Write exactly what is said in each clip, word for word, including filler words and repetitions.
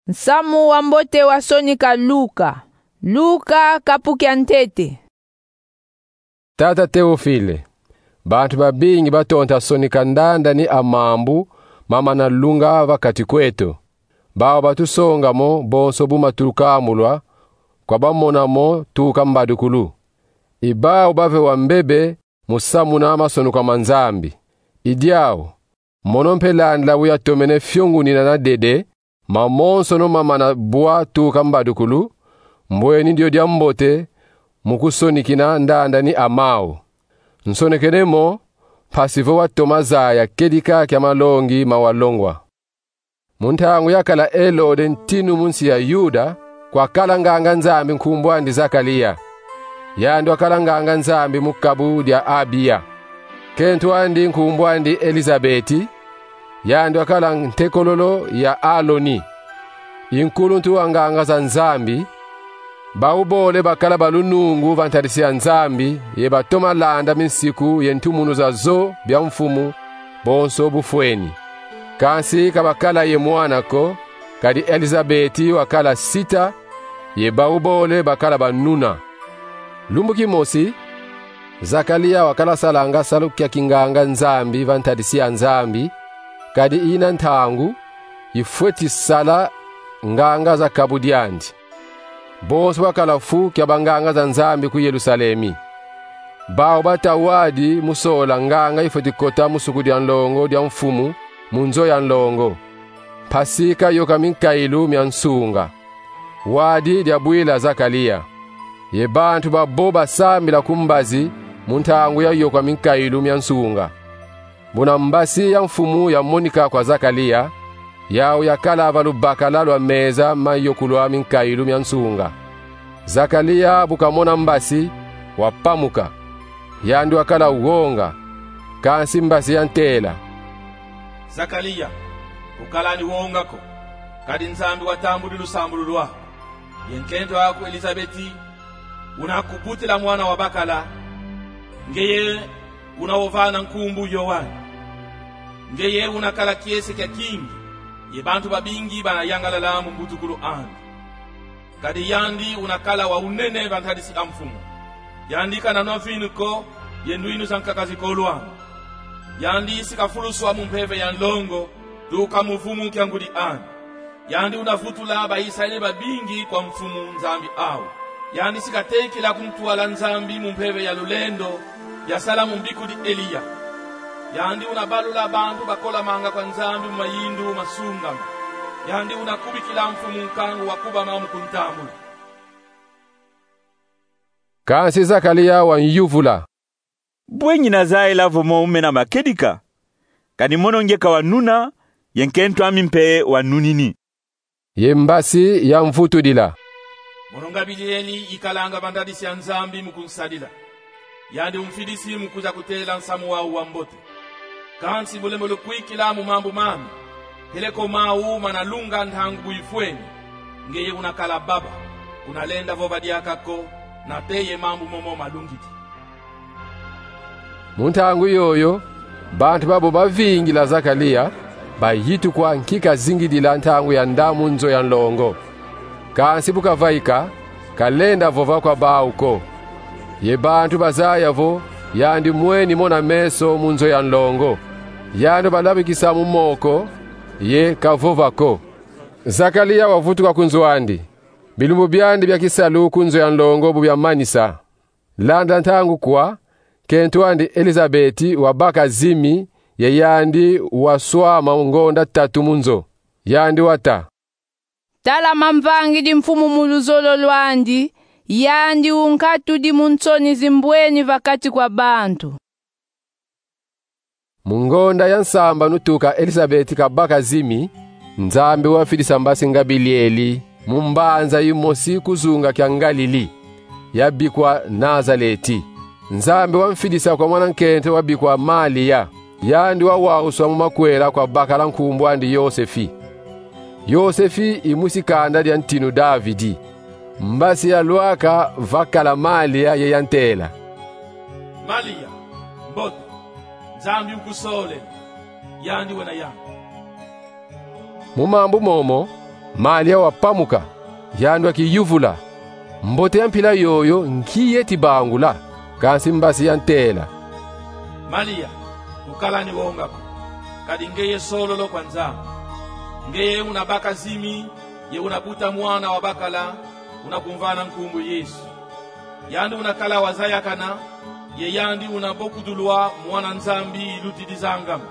Nsamu wa mbote wa sonika Luka. Luka, kapu kia ntete. Tata Teofile, bantu babingi batonta sonika ndandani a mambu mamana lunga va kati kweto. Bau batusonga mo bonso bu matukambulwa kwa bamona mo tuka mbadukulu. I bau bave wa mbebe mu samuna masonuka ma Nzambi. I diau, mono mpe landila bu yatomene fiongunina na dede mamonsono mamana bwa tuka mbadukulu, mbweni dio diambote mu kusonikina ndandani a mau. Nsonekene mo, mpasi vo watoma zaya kedika kia malongi ma walongwa. Mu ntangu yakala Elode ntinu mu nsi ya Yuda, kwakala nganga-Nzambi nkumbu andi Zakalia. Yandi wakala nganga-Nzambi mu kabu dia Abiya. Nkento andi nkumbu andi Elizabeti, yandi wakala ntekololo ya Aloni, i nkuluntu wa nganga za Nzambi. Bau bole bakala ba lunungu va ntadisi ya Nzambi, ye batoma landa minsiku ye ntumunu za zo bia Mfumu bonso bufweni. Kansi ka bakala ye mwana ko, kadi Elizabeti wakala sita, ye bau bole bakala banuna. Lumbu kimosi, Zakalia wakala salanga salu kia kinganga-Nzambi va ntadisi ya Nzambi, kadi ina ntangu ifweti sala nganga za kabu diandi. Bonso bakala fu kia banganga za Nzambi ku Yerusalemi. Bau bata wadi mu sola nganga ifweti kota mu suku dia nlongo dia Mfumu mu nzo ya nlongo, mpasi kayoka minkailu mia nsunga. Wadi diabwila Zakalia, ye bantu babo basambila ku mbazi mu ntangu ya yokwa minkailu mia nsunga. Buna mbasi ya Mfumu yamonika kwa Zakalia, yau yakala va lubakala lwa meza ma yokulwa minkailu mia nsunga. Zakalia bu kamona mbasi, wapamuka. Yandi wakala wonga, kansi mbasi yantela: Zakalia, ukalani wonga ko, kadi Nzambi watambudi lusambulu lwaku. Ye nkento aku Elizabeti una kubutila mwana wa bakala, ngeye una wovana nkumbu Yoane. Ngeye una kala kiese kia kingi, ye bantu babingi bana yangalala mu mbutukulu andi. Kadi yandi una kala wa unene va ntadisi a Mfumu. Yandi kana nwa vinu ko, ye ndwinu za nkaka zikolwanga. Yandi si kafuluswa mu mpeve ya nlongo, tuka mu vumu kia ngudi andi. Yandi una vutula ba Isayele babingi kwa Mfumu Nzambi au. Yandi si katekila ku ntwala Nzambi mu mpeve ya lulendo, yasala mu mbikudi Eliya. Yandi una balula bantu bakolamanga kwa Nzambi mu mayindu masungama. Yandi una kubikila Mfumu nkangu wa kubama mu kuntambula. Kansi Zakalia wanyuvula: Bwe ngina zayila vo mo umena makedika? Kadi mono nge ka wanuna, ye nkento ami mpe wanunini. Ye mbasi yamvutudila: Mono Ngabilieli ikalanga va ntadisi ya Nzambi mu kunsadila. Yandi umfidisi mu kwiza kutela nsamu wau wa mbote. Kansi mu lembo lukwikila mu mambu mami, peleko mau mana lunga ntangu bu ifweni, ngeye una kala baba, una lenda vova diaka ko, nate ye mambu momo malungidi. Mu ntangu yoyo, bantu babo bavingila Zakalia, bayitukwa nki kazingidila ntangu ya nda mu nzo ya nlongo. Kansi bu kavaika, kalenda vova kwa bau ko. Ye bantu bazaya vo yandi mweni mona meso mu nzo ya nlongo. Yandi balamikisa mu moko, ye kavova ko. Zakalia wavutuka ku nzo andi. Bilumbu biandi bia kisalu ku nzo ya nlongo bu biamanisa, landa ntangu kwa, nkento andi Elizabeti wabaka zimi, ye yandi waswama ngonda tatu mu nzo. Yandi wata: Tala, mamvangidi Mfumu mu luzolo lwandi, yandi unkatudi mu nsoni zimbweni va kati kwa bantu. Mu ngonda ya nsambanu tuka Elizabeti kabaka zimi, Nzambi wamfidisa mbasi Ngabilieli mu mbanza yimosi ku zunga kia Ngalili, yabikwa Nazaleti. Nzambi wamfidisa kwa mwana nkento wabikwa Malia. Yandi wawawuswa mu makwela kwa bakala nkumbu andi Yosefi. Yosefi i mwisi kanda dia ntinu Davidi. Mbasi ya lwaka vakala Malia ye yantela: Malia, mbote, Nzambi ukusole, yandi wena yandi. Mu mambu momo, Malia wapamuka, yandi wakiyuvula: Mbote ya mpila yoyo nki yeti bangula? Kansi mbasi yantela: Malia, ukala ni wonga ko, kadi ngeye sololo kwa Nzambi. Ngeye unabaka zimi, ye unabuta mwana wabakala, unakumvana nkumbu Yesu. Yandi unakala wazayakana, ye yandi unabokudulwa Mwana Nzambi ilutidi zangama.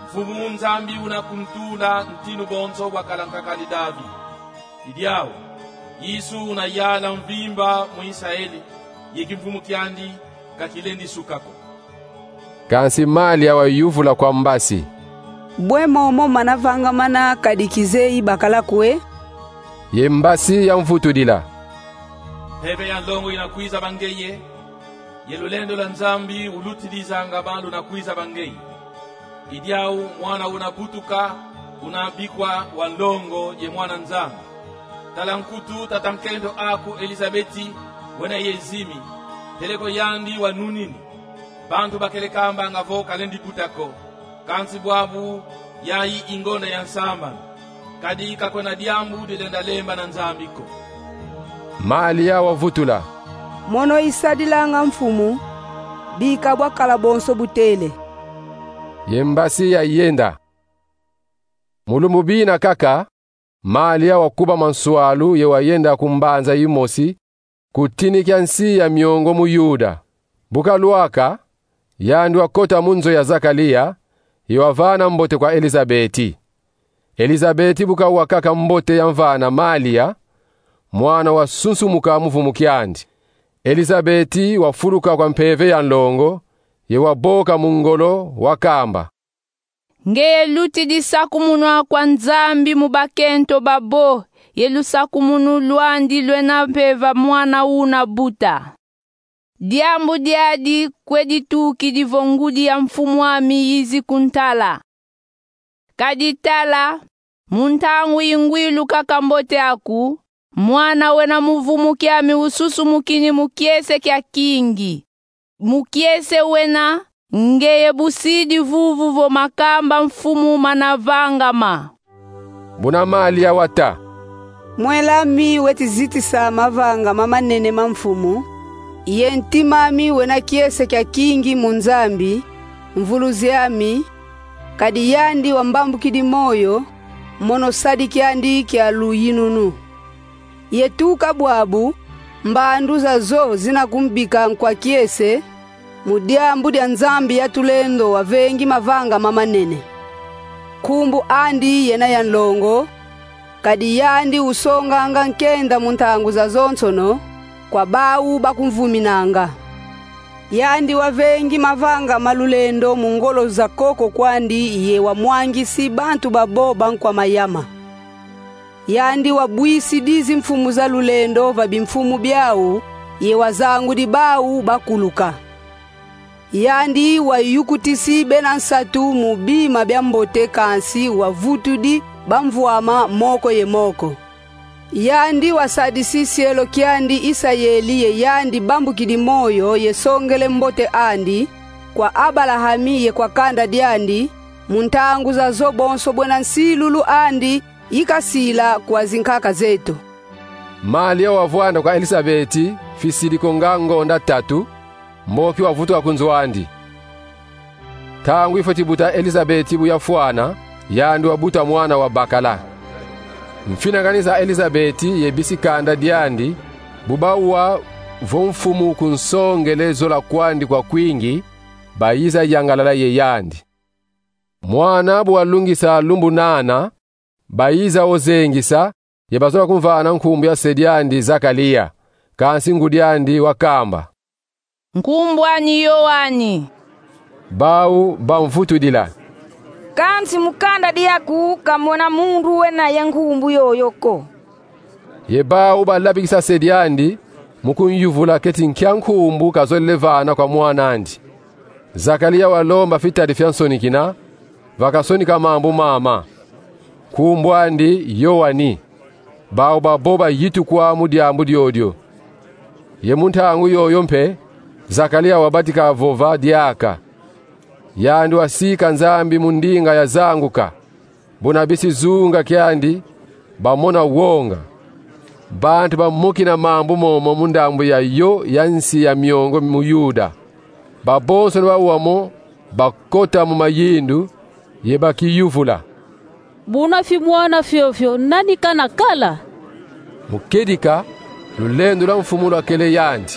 Mfumu Nzambi unakuntula ntinu bonso bwa kalankakadi David. I diau, Yesu unayala mvimba mu Isaele, ye kimfumu kiandi ka kilendi suka ko. Kansi Malia wayuvula kwa mbasi: Bwe momo mana vangamana kadi kizeyi bakala kwe? Ye mbasi yamvutudila: Mpeve ya nlongo inakwiza ba ngeye, ye lulendo lwa Nzambi ulutidi zangama lunakwiza ba ngeye. I diau mwana unabutuka, unabikwa wa nlongo ye Mwana Nzambi. Tala nkutu tata nkento aku Elizabeti, wena ye zimi, peleko yandi wanunini. Bantu bakele kambanga vo kalendi buta ko, kansi bwabu yayi i ngonda ya nsambanu. Kadi ka kwena diambu dilenda lemba na Nzambi ko. Malia wavutula: Mono isadilanga Mfumu, bika bwakala bonso butele. Ye mbasi yayenda. Mu lumbu bina kaka, Malia wakubama nswalu ye wayenda ku mbanza yimosi, ku tini kia nsi ya miongo mu Yuda. Bu kalwaka, yandi wakota mu nzo ya Zakalia, ye wavana mbote kwa Elizabeti. Elizabeti bu kawa kaka mbote yamvana Malia, mwana wasunsumuka mu vumu kiandi. Elizabeti wafuluka kwa mpeve ya nlongo, ye waboka mu ngolo, wakamba: Ngeye lutidi sakumunwa kwa Nzambi mu bakento babo, ye lusakumunu lwandi lwena mpeva mwana unabuta. Diambu diadi kwe ditukidi vo ngudi ya mfumu'ami yizi kuntala. Kadi tala, mu ntangu ingwilu kaka mbote aku, mwana wena mu vumu kiami ususumukini mu kiese kia kingi. Mu kiese wena, ngeye busidi vuvu vo makamba Mfumu mana vangama. Buna Malia wata: Mwel'ami weti zitisa mavanga mamanene ma Mfumu, ye ntim'ami wena kiese kia kingi mu Nzambi, Mvuluzi ami, kadi yandi wambambukidi moyo, mono sadi kiandi kia luyinunu. Ye tuka bwabu, mbandu zazo zina kumbika nkwa kiese, mu diambu dia Nzambi ya tulendo wavengi mavanga mamanene. Nkumbu andi yena ya nlongo, kadi yandi usonganga nkenda mu ntangu zazonsono kwa bau bakumvuminanga. Yandi wavengi mavanga ma lulendo mu ngolo za koko kwandi ye wamwangisi bantu babo bankwa mayama. Yandi wabwisidi zimfumu za lulendo va bimfumu biau, ye wazangudi bau bakuluka. Yandi wayukutisi bena nsatu mu bima bia mbote, kansi wavutudi bamvwama moko ye moko. Yandi wasadisi sielo kiandi Isayeli ye yandi bambukidi moyo ye songele mbote andi kwa Abalahami ye kwa kanda diandi, mu ntangu zazo bonso bwena nsilulu andi ikasila kwa zinkaka zeto. Malia wavwanda kwa Elisabeti fisidi ko nga ngonda tatu, mboki wavutuka ku nzo andi. Ntangu ifweti buta Elisabeti bu yafwana, yandi wabuta mwana wabakala. Mfinangani za Elisabeti ye bisi kanda diandi, bu bawa vo Mfumu kunsongele zola kwandi kwa kwingi, bayiza yangalala ye yandi. Mwana bu walungisa lumbu nana, bayiza wo zengisa, ye bazola kumvana nkumbu ya se diandi Zakalia, kansi ngudi andi wakamba: Nkumbu ani Yoani. Bau bamvutudila: Kansi mu kanda diaku ka mona muntu wena ye nkumbu yoyo ko. Ye bau balabikisa se diandi, mu kunyuvula keti nkia nkumbu kazolele vana kwa mwan'andi. Zakalia walomba fitadi fiansoni kina, vakasonika mambu mama. Nkumbu andi Yoani. Bau babo bayitukwa mu diambu diodio. Ye mu ntangu yoyo mpe, Zakalia wabatika vova diaka. Yandi wasika Nzambi mu ndinga yazanguka, buna bisi zunga kiandi bamona wonga. Bantu bamokina mambu momo mu ndambu yayo ya nsi ya miongo mu Yuda. Babonsono bawamo bakota mu mayindu, ye bakiyuvula: Buna fi mwana fiofio, nani kana kala? Mu kedika, lulendo lwa Mfumu lwakele yandi.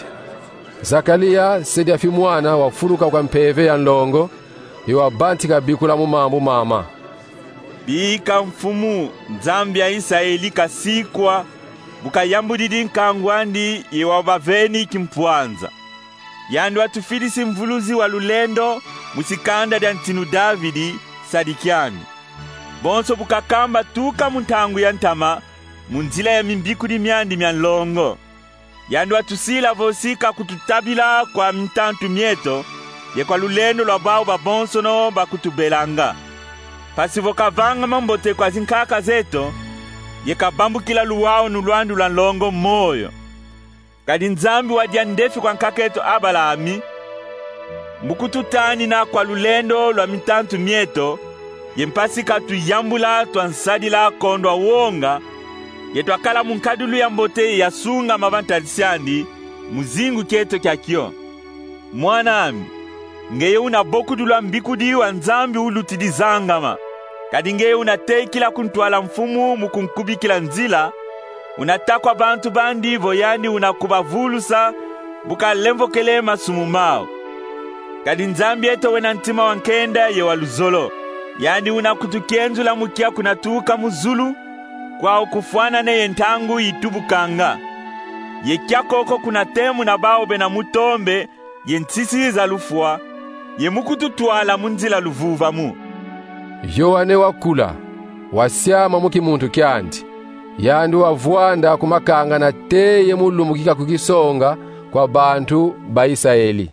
Zakaria, se dia fi mwana, wafuluka kwa mpeve ya nlongo, ye wabantika bikula mu mambu mama: Bika Mfumu, Nzambi ya Isaeli, kasikwa, bu kayambudidi nkangu andi ye wabaveni kimpwanza. Yandi watufidisi mvuluzi wa lulendo mu sikanda dia ntinu Davidi, sadi kiandi. Bonso bu kakamba tuka mu ntangu ya ntama, mu nzila ya mimbikudi miandi mia nlongo. Yandi watusila vo si kakututabila kwa mintantu mieto, ye kwa lulendo lwa bau babonsono bakutubelanga. Mpasi vo kavanga mambote kwa zinkaka zeto, ye kabambukila luwawanu lwandi lwa nlongo moyo. Kadi Nzambi wa diandefi kwa nkak'eto Abalahami, mu kututanina kwa lulendo lwa mintantu mieto, ye mpasi katuyambula, twansadila kondwa wonga, ye twakala mu nkadilu ya mbote ye ya sungama va ntadisi andi, mu zingu kieto kia kio. Mwan'ami, ngeye una bokudula mbikudi wa Nzambi ulutidi zangama. Kadi ngeye una tekila ku ntwala Mfumu mu kunkubikila nzila, una ta kwa bantu bandi vo yandi una kubavulusa bu kalemvokele masumu mau. Kadi Nzambi eto wena ntima wa nkenda ye wa luzolo. Yandi una kutukienzula mu kia kuna tuka mu zulu, kwau kufwanane ye ntangu itubukanga. Ye kia koko kuna temuna bau bena mutombe ye nsisi za lufwa, ye mu kututwala mu nzila luvuvamu. Yoane wakula, wasiama mu kimuntu kiandi. Yandi wavwanda ku makanga nate ye mu lumbu ki kakukisonga kwa bantu ba Isaeli.